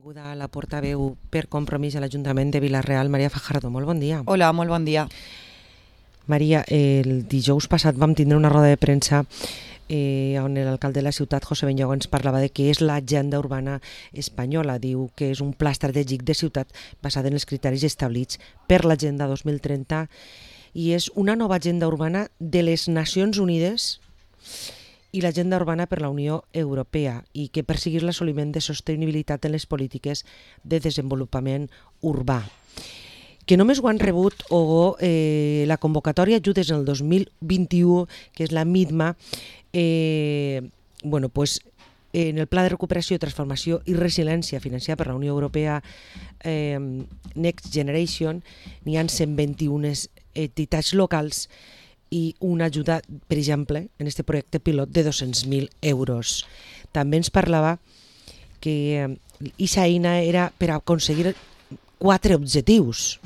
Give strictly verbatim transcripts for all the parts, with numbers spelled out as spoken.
Benvinguda a la portaveu per Compromís a l'Ajuntament de Vila-real, Maria Fajardo. Molt bon dia. Hola, molt bon dia. Maria, el dijous passat vam tindre una roda de premsa eh, on l'alcalde de la ciutat, José Benllogo, ens parlava de què és l'agenda urbana espanyola. Diu que és un pla estratègic de ciutat basat en els criteris establerts per l'Agenda dos mil trenta i és una nova agenda urbana de les Nacions Unides i l'agenda urbana per la Unió Europea i que perseguir l'assoliment de sostenibilitat en les polítiques de desenvolupament urbà. Que només ho han rebut o eh, la convocatòria ajudes en el dos mil vint-i-u, que és la MIDMA, eh, bueno, pues, en el Pla de Recuperació, Transformació i Resiliència financiat per la Unió Europea eh, Next Generation, n'hi ha cent vint-i-una entitats locals i una ajuda, per exemple, en aquest projecte pilot de dos-cents mil euros. També ens parlava que aquesta eina era per aconseguir quatre objectius: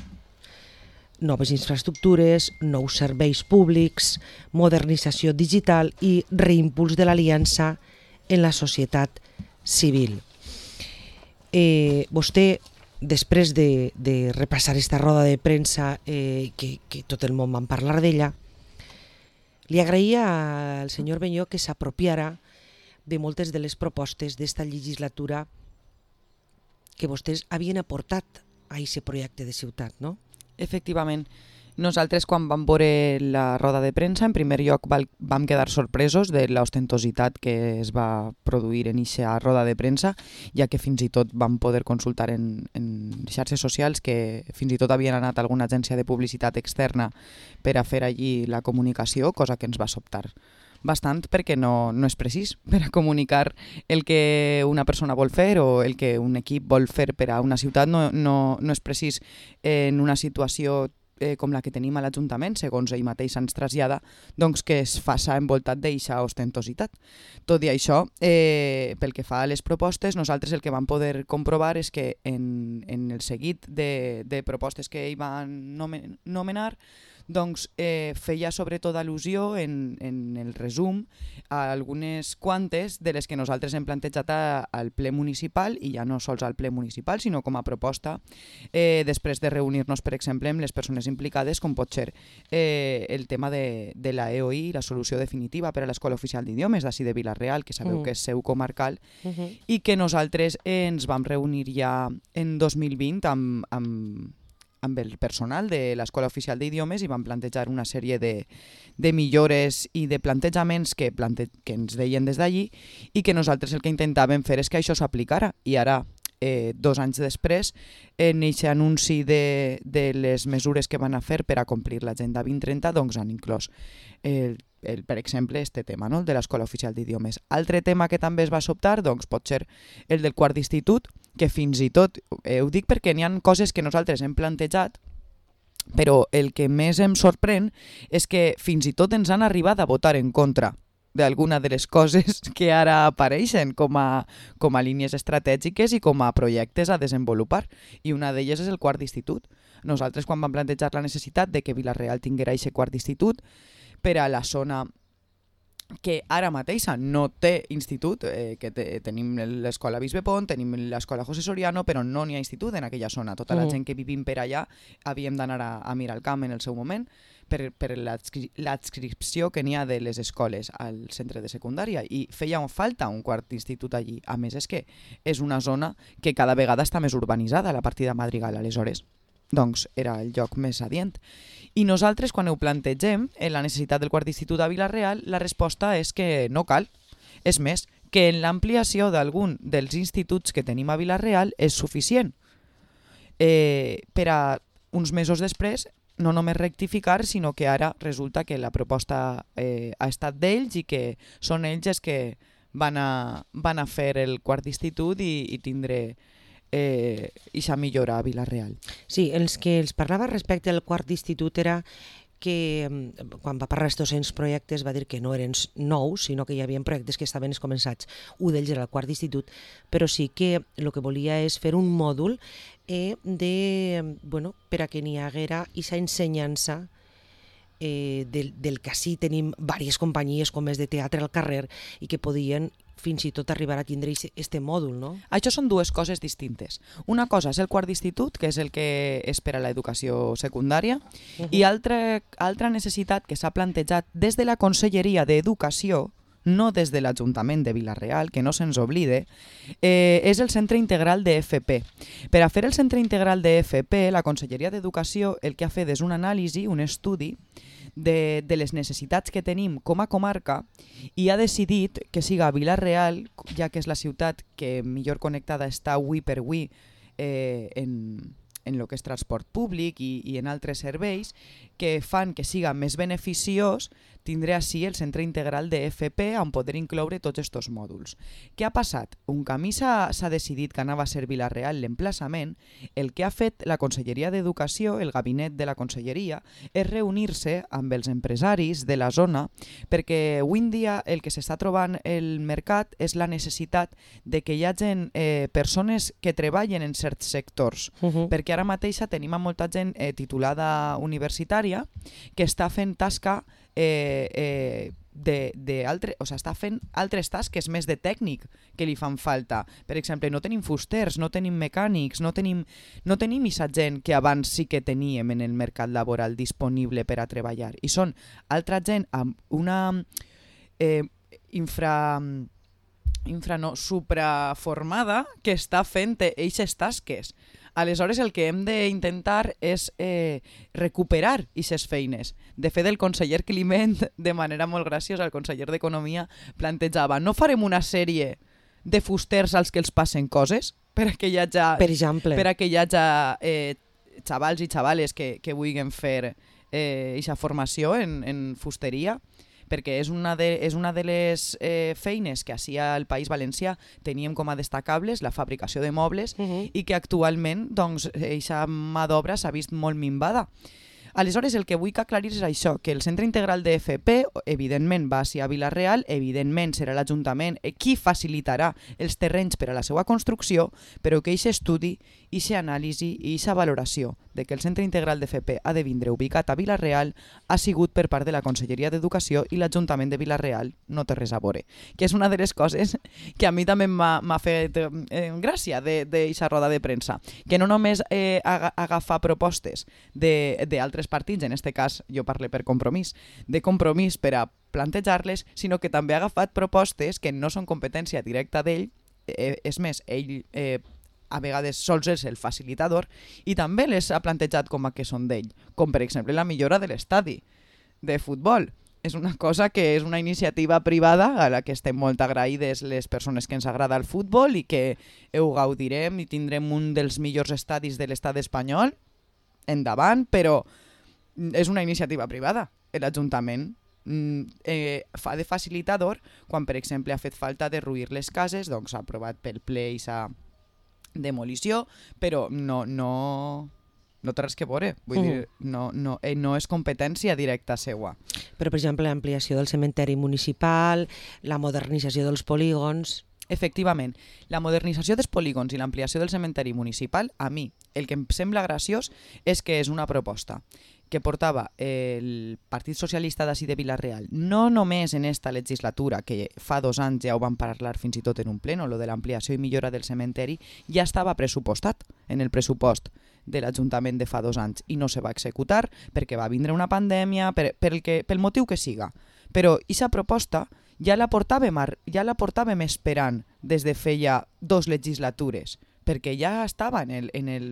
noves infraestructures, nous serveis públics, modernització digital i reimpuls de l'aliança en la societat civil. Eh, vostè, després de, de repassar aquesta roda de premsa, eh, que, que tot el món va parlar d'ella, li agraïa al senyor Benllogo que s'apropiara de moltes de les propostes d'esta legislatura que vostès havien aportat a aquest projecte de ciutat, no? Efectivament. Nosaltres, quan vam veure la roda de premsa, en primer lloc vam quedar sorpresos de l'ostentositat que es va produir en aquesta roda de premsa, ja que fins i tot vam poder consultar en, en xarxes socials que fins i tot havien anat a alguna agència de publicitat externa per a fer allí la comunicació, cosa que ens va sobtar bastant perquè no, no és precís per a comunicar el que una persona vol fer o el que un equip vol fer per a una ciutat. No, no, no és precís en una situació Eh, com la que tenim a l'Ajuntament, segons ell mateix ens trasllada, doncs que es faça envoltat d'eixa ostentositat. Tot i això, eh, pel que fa a les propostes, nosaltres el que vam poder comprovar és que en, en el seguit de, de propostes que ell va nomenar, doncs eh, feia sobretot al·lusió en, en el resum a algunes quantes de les que nosaltres hem plantejat a, al ple municipal, i ja no sols al ple municipal, sinó com a proposta eh, després de reunir-nos, per exemple, amb les persones implicades, com pot ser eh, el tema de, de la E O I, la solució definitiva per a l'Escola Oficial d'Idiomes d'ací de Vila-real, que sabeu uh-huh. que és seu comarcal, uh-huh. i que nosaltres eh, ens vam reunir ja en dos mil vint amb, amb amb el personal de l'Escola Oficial d'Idiomes i vam plantejar una sèrie de, de millores i de plantejaments que, plante que ens deien des d'allí i que nosaltres el que intentàvem fer és que això s'aplicara. I ara, eh, dos anys després, en aquest anunci de, de les mesures que van a fer per a complir l'Agenda vint trenta, doncs han inclòs el El, per exemple, este tema, no? El de l'Escola Oficial d'Idiomes. Altre tema que també es va sobtar, doncs, pot ser el del quart d'institut, que fins i tot, eh, ho dic perquè n'hi ha coses que nosaltres hem plantejat, però el que més em sorprèn és que fins i tot ens han arribat a votar en contra d'alguna de les coses que ara apareixen com a, com a línies estratègiques i com a projectes a desenvolupar. I una d'elles és el quart d'institut. Nosaltres, quan vam plantejar la necessitat de que Vila-real tinguera aquest quart d'institut, per a la zona que ara mateixa no té institut, eh, que te, tenim l'escola Bisbe Pont, tenim l'escola José Soriano, però no n'hi ha institut en aquella zona. Tota la uh-huh. gent que vivim per allà havíem d'anar a, a mirar el camp en el seu moment per, per l'adscripció que n'hi ha de les escoles al centre de secundària, i feia falta un quart institut allí. A més, és que és una zona que cada vegada està més urbanitzada, la partida Madrigal, aleshores. Doncs era el lloc més adient. I nosaltres, quan ho plantegem, en la necessitat del quart d'institut a Vila-real, la resposta és que no cal. És més, que en l'ampliació d'algun dels instituts que tenim a Vila-real és suficient. Eh, per a uns mesos després, no només rectificar, sinó que ara resulta que la proposta eh, ha estat d'ells i que són ells els que van a, van a fer el quart d'institut i, i tindré Eh, i s'ha millorat a Vila-real. Sí, els que els parlava respecte al quart d'institut era que quan va parlar dels dos projectes va dir que no eren nous, sinó que hi havia projectes que estaven començats. Un d'ells era el quart d'institut, però sí que el que volia és fer un mòdul eh, de, bueno, per a que n'hi haguera aquesta ensenyança eh, del, del que sí tenim diverses companyies com és de teatre al carrer i que podien fins i tot arribar a tindre este mòdul, no? Això són dues coses distintes. Una cosa és el quart d'institut, que és el que és per a l'educació secundària, uh-huh. i altra, altra necessitat que s'ha plantejat des de la Conselleria d'Educació, no des de l'Ajuntament de Vila-real, que no se'ns oblide, eh, és el Centre Integral de F P. Per a fer el Centre Integral de F P, la Conselleria d'Educació el que ha fet és un anàlisi, un estudi, de, de les necessitats que tenim com a comarca i ha decidit que siga Vila-real, ja que és la ciutat que millor connectada està avui per avui eh, en, en el que és transport públic i, i en altres serveis, que fan que siga més beneficiós tindré així el Centre Integral de F P on poder incloure tots aquests mòduls. Què ha passat? Un camí s'ha decidit que anava a ser Vila-real l'emplaçament. El que ha fet la Conselleria d'Educació, el gabinet de la Conselleria, és reunir-se amb els empresaris de la zona perquè avui en dia el que s'està trobant el mercat és la necessitat de que hi hagi eh, persones que treballen en certs sectors, uh-huh. perquè ara mateixa tenim molta gent eh, titulada universitària que està fent tasca Eh, eh, de, de altre, o sigui, està fent altres tasques més de tècnic que li fan falta. Per exemple, no tenim fusters, no tenim mecànics, no tenim, no tenim aquesta gent que abans sí que teníem en el mercat laboral disponible per a treballar. I són altra gent amb una eh, infra... infra no, supraformada que està fent eixes tasques. Aleshores, el que hem d'intentar és eh, recuperar aquestes feines. De fet, el conseller Climent, de manera molt graciosa, el conseller d'Economia, plantejava no farem una sèrie de fusters als que els passen coses per a que hi hagi, per exemple. per a que hi hagi eh, xavals i xavales que, que vulguin fer aquesta eh, formació en, en fusteria, perquè és una de, és una de les eh, feines que així al País Valencià teníem com a destacables, la fabricació de mobles, uh-huh. i que actualment doncs, eixa mà d'obra s'ha vist molt minvada. Aleshores, el que vull que aclarir és això, que el Centre Integral de F P, evidentment, va ser a Vila-real, evidentment serà l'Ajuntament qui facilitarà els terrenys per a la seva construcció, però que aquest estudi, aquesta anàlisi i aquesta valoració de que el Centre Integral de F P ha de vindre ubicat a Vila-real ha sigut per part de la Conselleria d'Educació i l'Ajuntament de Vila-real no té res a veure. Que és una de les coses que a mi també m'ha fet eh, gràcia d'aquesta roda de premsa. Que no només eh, agafar propostes d'altres partits, en aquest cas jo parlo per Compromís, de Compromís per a plantejar-les, sinó que també ha agafat propostes que no són competència directa d'ell, eh, és més, ell eh, a vegades sols és el facilitador i també les ha plantejat com a que són d'ell, com per exemple la millora de l'estadi de futbol. És una cosa que és una iniciativa privada a la que estem molt agraïdes les persones que ens agrada el futbol i que ho gaudirem i tindrem un dels millors estadis de l'estat espanyol endavant, però és una iniciativa privada. L'Ajuntament eh, fa de facilitador quan, per exemple, ha fet falta derruir les cases, doncs ha aprovat pel ple aquesta demolició, però no, no, no té res que veure. Vull mm. dir, no, no, eh, no és competència directa seua. Però, per exemple, l'ampliació del cementeri municipal, la modernització dels polígons... Efectivament, la modernització dels polígons i l'ampliació del cementeri municipal, a mi, el que em sembla graciós és que és una proposta que portava el Partit Socialista d'ací de Vila-real, no només en esta legislatura, que fa dos anys ja ho van parlar fins i tot en un pleno, lo de l'ampliació i millora del cementeri, ja estava pressupostat en el pressupost de l'Ajuntament de fa dos anys i no se va executar perquè va vindre una pandèmia, per, per el que, pel motiu que siga. Però aquesta proposta ja la portàvem, ja la portàvem esperant des de feia dos legislatures, perquè ja estava en el, en el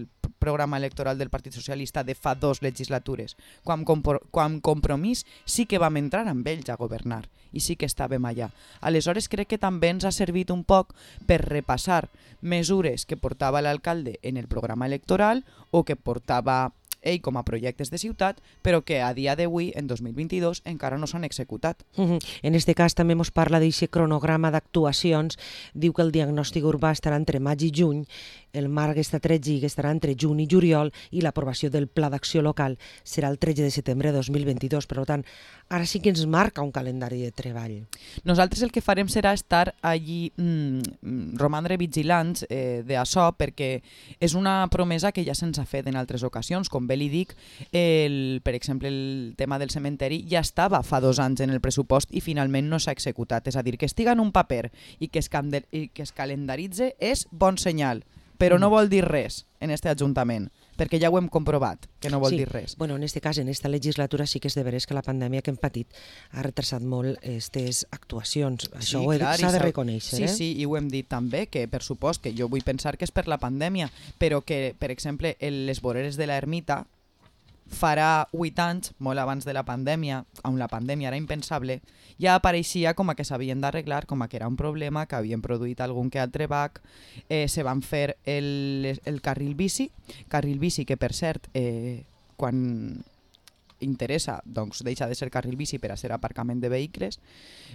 programa electoral del Partit Socialista de fa dos legislatures. Quan, quan Compromís sí que vam entrar amb ells a governar i sí que estàvem allà. Aleshores crec que també ens ha servit un poc per repassar mesures que portava l'alcalde en el programa electoral o que portava ell com a projectes de ciutat, però que a dia d'avui, en dos mil vint-i-dos, encara no s'han executat. Uh-huh. En aquest cas també ens parla d'aquest cronograma d'actuacions, diu que el diagnòstic urbà estarà entre maig i juny, el marc està tretze que estarà entre juny i juliol i l'aprovació del Pla d'Acció Local serà el tretze de setembre de dos mil vint-i-dos. Per tant, ara sí que ens marca un calendari de treball. Nosaltres el que farem serà estar allí, mm, romandre vigilants eh, d'això, perquè és una promesa que ja se'ns ha fet en altres ocasions. Com bé li dic, el, per exemple, el tema del cementeri ja estava fa dos anys en el pressupost i finalment no s'ha executat. És a dir, que estiga en un paper i que es, i que es calendaritze és bon senyal, però no vol dir res en este Ajuntament, perquè ja ho hem comprovat, que no vol sí. dir res. Bueno, en este cas, en esta legislatura sí que és de veres que la pandèmia que hem patit ha retrasat molt aquestes actuacions. Això sí, s'ha de reconèixer. Sí, eh? sí, i ho hem dit també, que per supost que jo vull pensar que és per la pandèmia, però que, per exemple, en les voreres de l'ermita farà vuit anys, molt abans de la pandèmia, on la pandèmia era impensable, ja apareixia com a que s'havien d'arreglar, com a que era un problema, que havien produït algun que altre bac, eh, se van fer el, el carril bici, carril bici que per cert, eh, quan interessa, doncs deixa de ser carril bici per a ser aparcament de vehicles,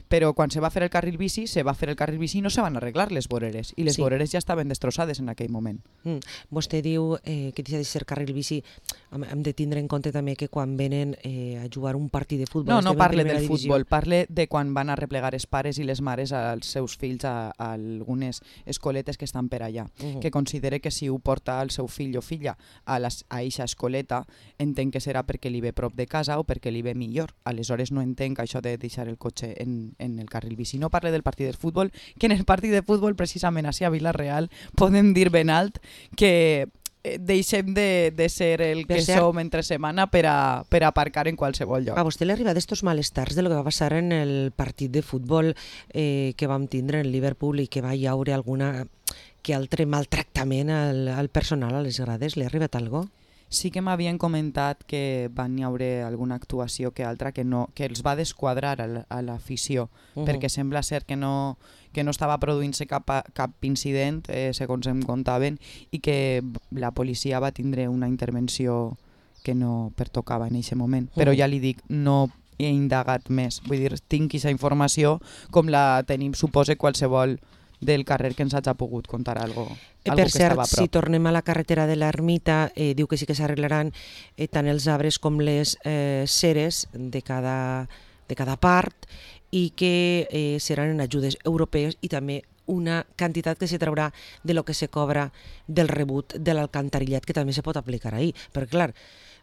però quan se va fer el carril bici, se va fer el carril bici i no se van arreglar les voreres, i les sí. voreres ja estaven destrossades en aquell moment. Mm. Vostè diu eh, que deixa de ser carril bici, hem de tindre en compte també que quan venen eh, a jugar un partit de futbol... No, no parle del divisió. futbol, parle de quan van a replegar els pares i les mares als seus fills a, a algunes escoletes que estan per allà, uh -huh. que considere que si ho porta el seu fill o filla a, les, a eixa escoleta, entenc que serà perquè li ve prop de casa o perquè li ve millor. Aleshores no entenc això de deixar el cotxe en, en el carril bici. No parle del partit de futbol, que en el partit de futbol precisament així a Vila-real podem dir ben alt que deixem de, de ser el per que cert, som entre setmana per a, per a aparcar en qualsevol lloc. A vostè li arriba d'estos malestars de lo que va passar en el partit de futbol eh, que vam tindre en Liverpool i que va hi haure alguna que altre maltractament al, al personal a les grades? Li ha arribat algo? Sí que m'havien comentat que van hi haure alguna actuació que altra que, no, que els va desquadrar a l'afició, uh -huh. perquè sembla ser que no, que no estava produint-se cap, cap incident, eh, segons em contaven, i que la policia va tindre una intervenció que no pertocava en aquest moment. Uh -huh. Però ja li dic, no he indagat més. Vull dir, tinc aquesta informació com la tenim, supose, qualsevol del carrer que ens hagi pogut contar algo, eh, algo per que cert, estava a prop. Si tornem a la carretera de l'Ermita, eh, diu que sí que s'arreglaran eh, tant els arbres com les eh, ceres de cada, de cada part i que eh, seran en ajudes europees i també una quantitat que se traurà de lo que se cobra del rebut de l'alcantarillat, que també se pot aplicar ahir. Perquè, clar,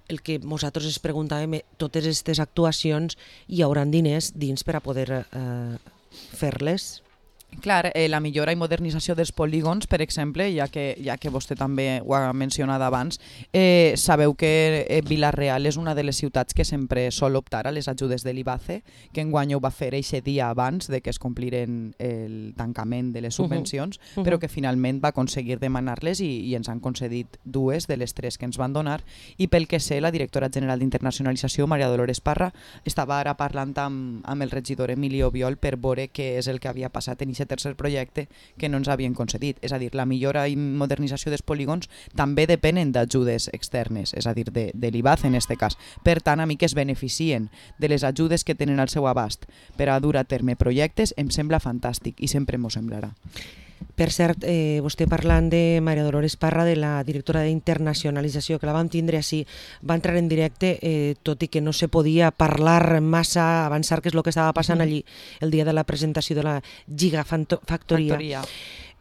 el que nosaltres ens preguntàvem, totes aquestes actuacions hi haurà diners dins per a poder eh, fer-les? Clar, eh, la millora i modernització dels polígons, per exemple, ja que, ja que vostè també ho ha mencionat abans, eh, sabeu que eh, Vila-real és una de les ciutats que sempre sol optar a les ajudes de l'I B A C E, que enguany ho va fer eixe dia abans de que es compliren el tancament de les subvencions, uh -huh. Uh -huh. però que finalment va aconseguir demanar-les i, i ens han concedit dues de les tres que ens van donar, i pel que sé, la directora general d'Internacionalització, Maria Dolores Parra, estava ara parlant amb, amb el regidor Emilio Biol per veure què és el que havia passat en aquest tercer projecte que no ens havien concedit. És a dir, la millora i modernització dels polígons també depenen d'ajudes externes, és a dir, de, de l'I B A C E en aquest cas. Per tant, a mi que es beneficien de les ajudes que tenen al seu abast per a dur a terme projectes em sembla fantàstic i sempre m'ho semblarà. Per cert, eh, vostè parlant de Maria Dolores Parra, de la directora d'Internacionalització, que la vam tindre així, va entrar en directe, eh, tot i que no se podia parlar massa, avançar què és el que estava passant allí el dia de la presentació de la Gigafactoria.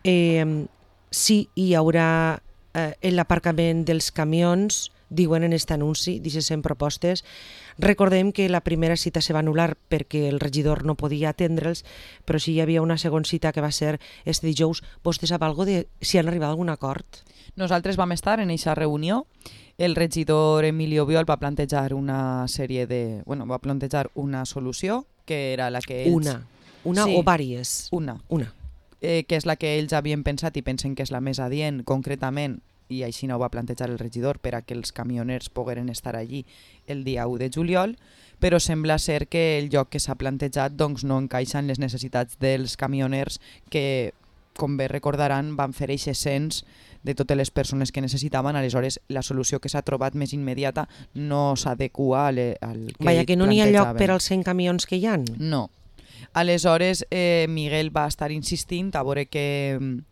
Eh, sí, hi haurà eh, l'aparcament dels camions, diuen en aquest anunci, d'aquestes cent propostes. Recordem que la primera cita se va anul·lar perquè el regidor no podia atendre'ls, però sí hi havia una segona cita que va ser este dijous. Vostè sap alguna de si han arribat a algun acord? Nosaltres vam estar en aquesta reunió. El regidor Emilio Biol va plantejar una sèrie de... Bueno, va plantejar una solució, que era la que ells... Una. Una sí, o vàries? Una. Una. Eh, que és la que ells havien pensat i pensen que és la més adient, concretament, i així no ho va plantejar el regidor, per a que els camioners pogueren estar allí el dia u de juliol, però sembla ser que el lloc que s'ha plantejat doncs, no encaixa en les necessitats dels camioners que, com bé recordaran, van fer eixe cens de totes les persones que necessitaven. Aleshores, la solució que s'ha trobat més immediata no s'adequa al, al que Vaja, que no n'hi ha lloc per plantejaven. als cent camions que hi ha? No. Aleshores, eh, Miguel va estar insistint a veure que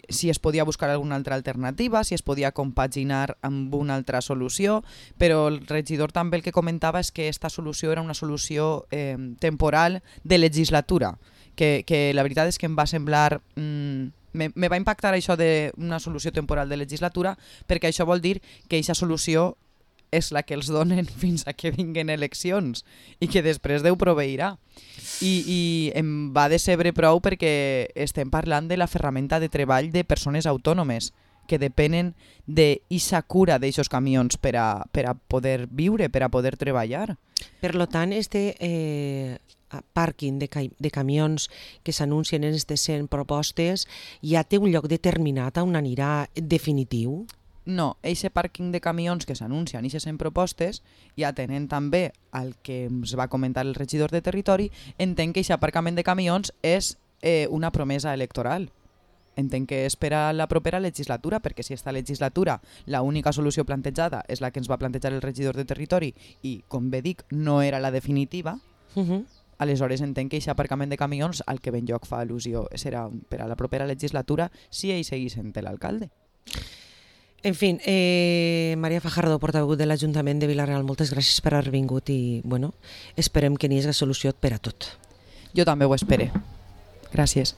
si es podia buscar alguna altra alternativa, si es podia compaginar amb una altra solució, però el regidor també el que comentava és que aquesta solució era una solució eh, temporal de legislatura, que, que la veritat és que em va semblar... Mm, me, me va impactar això d'una solució temporal de legislatura, perquè això vol dir que aquesta solució és la que els donen fins a que vinguen eleccions i que després Déu proveirà. I, i em va decebre prou perquè estem parlant de la ferramenta de treball de persones autònomes que depenen d'eixa cura d'aixos camions per a, per a poder viure, per a poder treballar. Per lo tant, este eh, pàrquing de, ca de camions que s'anuncien en aquestes cent propostes ja té un lloc determinat on anirà definitiu? No, eixe pàrquing de camions que s'anuncien i se cent propostes ja tenen també el que ens va comentar el regidor de territori. Entenc que aquest aparcament de camions és eh, una promesa electoral. Entenc que és per a la propera legislatura, perquè si esta legislatura l'única solució plantejada és la que ens va plantejar el regidor de territori i, com bé dic, no era la definitiva, uh-huh. Aleshores entenc que aquest aparcament de camions al que ben lloc fa al·lusió serà per a la propera legislatura si ell seguís sent l'alcalde. En fi, eh, Maria Fajardo, portaveu de l'Ajuntament de Vila-real, moltes gràcies per haver vingut i bueno, esperem que n'hi hagi solució per a tot. Jo també ho espero. Gràcies.